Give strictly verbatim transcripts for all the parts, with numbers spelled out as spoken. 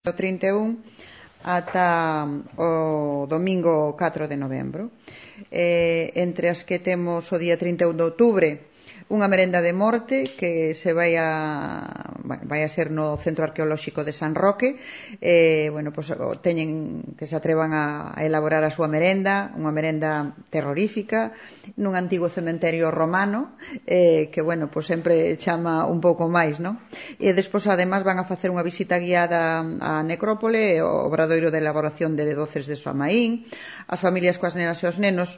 do trinta e un ata o domingo catro de novembro. Eh, entre as que temos o día trinta e un de outubro unha merenda de morte que se vai a vai a ser no Centro Arqueolóxico de San Roque. Eh, bueno, pues, teñen que se atrevan a, a elaborar a súa merenda, unha merenda terrorífica nun antigo cementerio romano, eh, que, bueno, pues sempre chama un pouco máis, non? E despois, además, van a facer unha visita guiada á necrópole, o obradoiro de elaboración de doces de Soamaín. As familias coas nenas e os nenos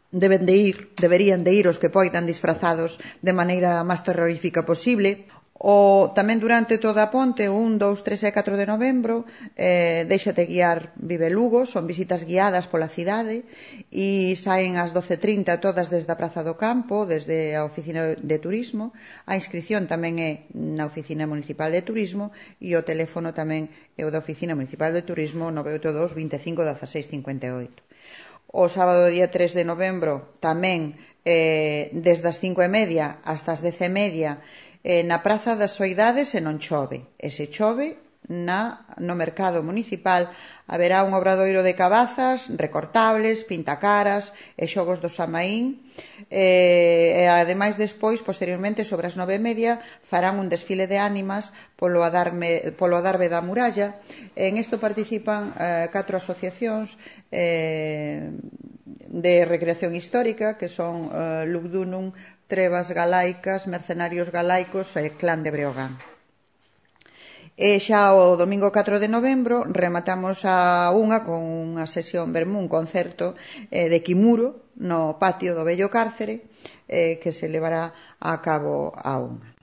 deben de ir, deberían de ir os que poidan disfrazados de maneira máis terrorífica posible. O, tamén durante toda a ponte, un, dous, tres e catro de novembro, eh, Déixate guiar Vive Lugo, son visitas guiadas pola cidade e saen ás doce e trinta todas desde a Praza do Campo, desde a Oficina de Turismo. A inscripción tamén é na Oficina Municipal de Turismo e o teléfono tamén é o da Oficina Municipal de Turismo nove oito dos, vinte e cinco, dezaseis, cincuenta e oito. O sábado día tres de novembro tamén eh, desde as cinco e media hasta as dez e media eh, na Praza das Soidades e non chove. E se chove, na, no mercado municipal haberá un obradoiro de cabazas, recortables, pintacaras e xogos do Soamaín. E, e ademais despois, posteriormente, sobre as nove e media farán un desfile de ánimas polo adarme, polo adarve da muralla. En isto participan eh, catro asociacións eh, de recreación histórica, que son eh, Lugdunum, Trevas Galaicas, Mercenarios Galaicos e Clan de Breogán. E xa o domingo catro de novembro rematamos a unha con unha sesión vermú, un concerto eh, de Quimuro no patio do vello cárcere, eh, que se levará a cabo a unha.